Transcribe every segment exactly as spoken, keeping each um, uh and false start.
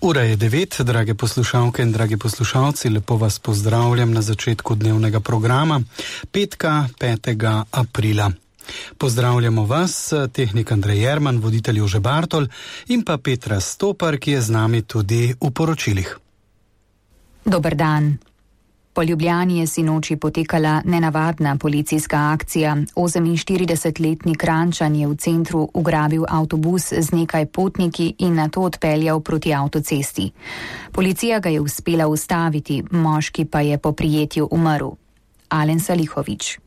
Ura je devet, drage poslušalke in dragi poslušalci, lepo vas pozdravljam na začetku dnevnega programa, petka, petega aprila. Pozdravljamo vas, tehnik Andrej Jerman, voditelj Jože Bartol in pa Petra Stopar, ki je z nami tudi v poročilih. Dober dan. Po Ljubljani je sinoči potekala nenavadna policijska akcija. oseminštiridesetletni Kranjčan je v centru ugrabil avtobus z nekaj potniki in nato odpeljal proti avtocesti. Policija ga je uspela ustaviti, moški pa je po prijetju umrl. Alen Salihović.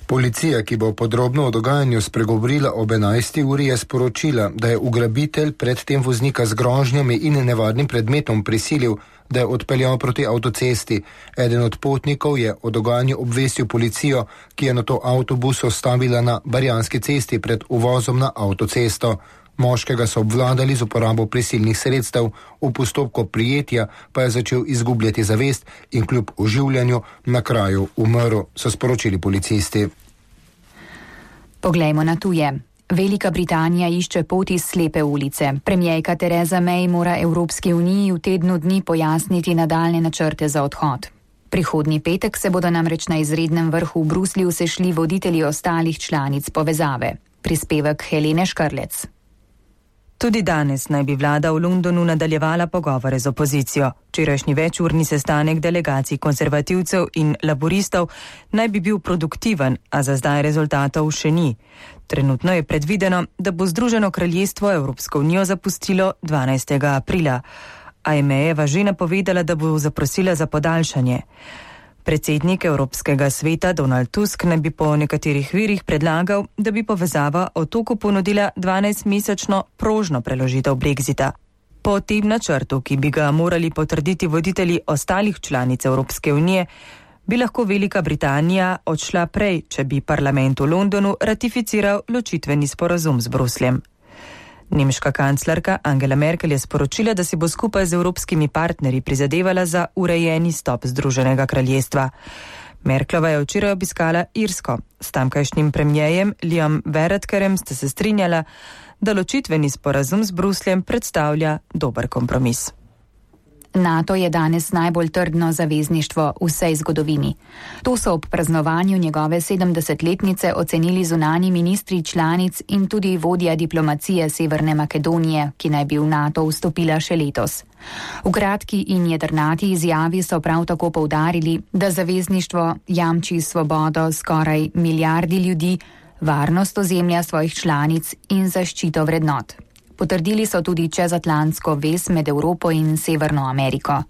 Policija, ki bo podrobno o dogajanju spregovorila ob enajsti uri, je sporočila, da je ugrabitelj predtem voznika z grožnjami in nevarnim predmetom prisilil, da je odpeljal proti avtocesti. Eden od potnikov je o dogajanju obvestil policijo, ki je nato avtobus ostavila na Barjanski cesti pred uvozom na avtocesto. Moškega so obvladali z uporabo prisilnih sredstev, v postopku prijetja pa je začel izgubljati zavest in kljub oživljanju na kraju umrl, so sporočili policisti. Poglejmo na tuje. Velika Britanija išče pot iz slepe ulice. Premijerka Theresa May mora Evropski uniji v tednu dni pojasniti nadaljne načrte za odhod. Prihodnji petek se bodo namreč na izrednem vrhu v Bruslju sešli voditelji ostalih članic povezave. Prispevek Helene Škrlec. Tudi danes naj bi vlada v Londonu nadaljevala pogovore z opozicijo. Včerajšnji večurni sestanek delegacij konservativcev in laboristov naj bi bil produktiven, a za zdaj rezultatov še ni. Trenutno je predvideno, da bo Združeno kraljestvo Evropsko unijo zapustilo dvanajstega aprila, a je Mayjeva že napovedala, da bo zaprosila za podaljšanje. Predsednik Evropskega sveta Donald Tusk naj bi po nekaterih virih predlagal, da bi povezava otoku ponudila dvanajstmesečno prožno preložitev Brexita. Po tem načrtu, ki bi ga morali potrditi voditelji ostalih članic Evropske unije, bi lahko Velika Britanija odšla prej, če bi parlament v Londonu ratificiral ločitveni sporazum z Brusljem. Nemška kanclerka Angela Merkel je sporočila, da si bo skupaj z evropskimi partnerji prizadevala za urejeni stop Združenega kraljestva. Merklova je včeraj obiskala Irsko. S tamkajšnjim premierjem Liam Varadkarem sta se strinjala, da ločitveni sporazum z Brusljem predstavlja dober kompromis. NATO je danes najbolj trdno zavezništvo v vsej zgodovini. To so ob praznovanju njegove sedemdesetletnice ocenili zunanji ministri članic in tudi vodja diplomacije Severne Makedonije, ki naj bi v NATO vstopila še letos. V kratki in jedrnati izjavi so prav tako poudarili, da zavezništvo jamči svobodo skoraj milijardi ljudi, varnost ozemlja svojih članic in zaščito vrednot. Potrdili so tudi čezatlantsko vez med Evropo in Severno Ameriko.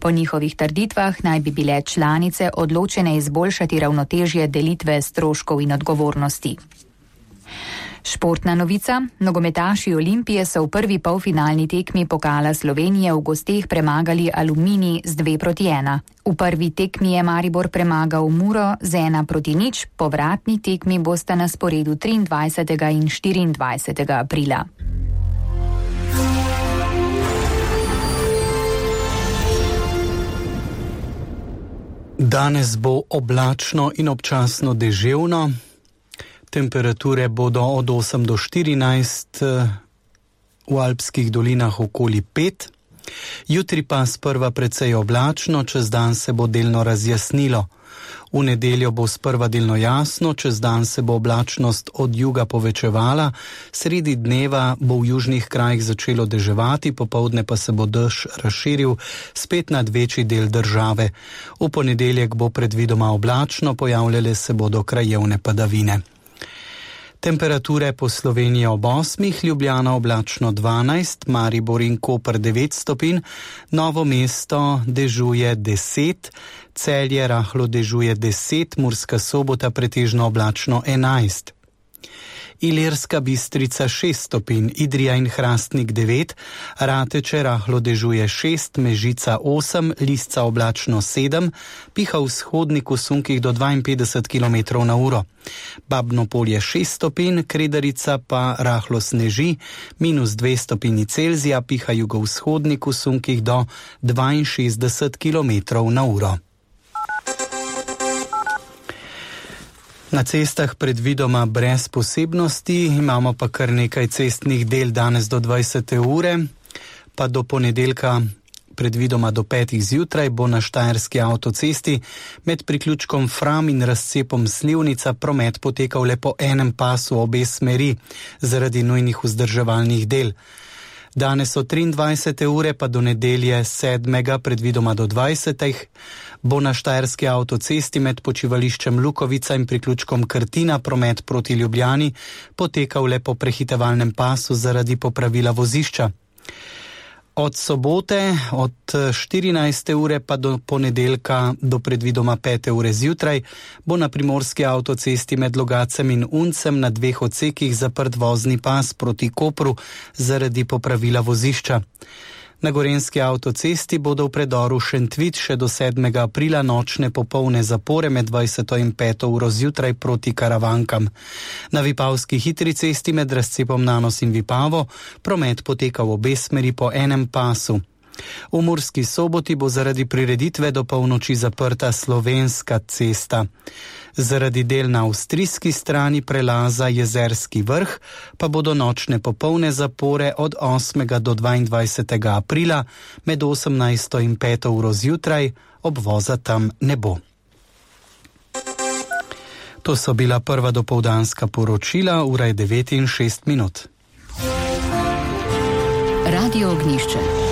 Po njihovih trditvah naj bi bile članice odločene izboljšati ravnotežje delitve stroškov in odgovornosti. Športna novica. Nogometaši Olimpije so v prvi polfinalni tekmi pokala Slovenije v gosteh premagali Aluminij z dve proti ena. V prvi tekmi je Maribor premagal Muro z ena proti nič, povratni tekmi bosta na sporedu triindvajsetega in štiriindvajsetega aprila. Danes bo oblačno in občasno deževno. Temperature bodo od osem do štirinajst, v alpskih dolinah okoli pet. Jutri pa sprva precej oblačno, čez dan se bo delno razjasnilo. V nedeljo bo sprva delno jasno, čez dan se bo oblačnost od juga povečevala, sredi dneva bo v južnih krajih začelo deževati, popoldne pa se bo dež razširil spet nad večji del države. V ponedeljek bo predvidoma oblačno, pojavljale se bodo krajevne padavine. Temperature po Sloveniji ob osmih, Ljubljana oblačno dvanajst, Maribor in Koper devet stopinj, Novo mesto dežuje deset, Celje rahlo dežuje deset, Murska Sobota pretežno oblačno enajst. Ilirska Bistrica šest stopinj, Idrija in Hrastnik devet, Rateče rahlo dežuje šest, Mežica osem, Lisca oblačno sedem, piha v vzhodniku sunkih do dvainpetdeset kilometrov na uro. Babno Polje šest stopinj, Kredarica pa rahlo sneži, minus dve stopinji Celzija, piha jugovzhodniku sunkih do dvainšestdeset kilometrov na uro. Na cestah predvidoma brez posebnosti, imamo pa kar nekaj cestnih del danes do dvajsete ure. pa do ponedeljka predvidoma do petih zjutraj bo na štajerski avtocesti med priključkom Fram in razcepom Slivnica promet potekal le po enem pasu obe smeri zaradi nujnih vzdrževalnih del. Danes od triindvajsete ure pa do nedelje sedmega predvidoma do dvajsetih bo na štajerski avtocesti med počivališčem Lukovica in priključkom Krtina promet proti Ljubljani potekal le po prehitevalnem pasu zaradi popravila vozišča. Od sobote od štirinajste ure pa do ponedeljka do predvidoma pete ure zjutraj bo na primorski avtocesti med Logacem in Uncem na dveh odsekih zaprt vozni pas proti Kopru zaradi popravila vozišča. Na gorenjski avtocesti bodo v predoru Šentvit še do sedmega aprila nočne popolne zapore med dvajseto in peto uro zjutraj proti Karavankam. Na Vipavski hitri cesti med razcepom Nanos in Vipavo promet poteka v obe smeri po enem pasu. V Murski Soboti bo zaradi prireditve do polnoči zaprta Slovenska cesta. Zaradi del na avstrijski strani prelaza Jezerski vrh pa bodo nočne popolne zapore od osmega do dvaindvajsetega aprila med osemnajsto in peto uro zjutraj, obvoza tam ne bo. To so bila prva dopoldanska poročila, ura je devet in šest minut. Radio Ognjišče.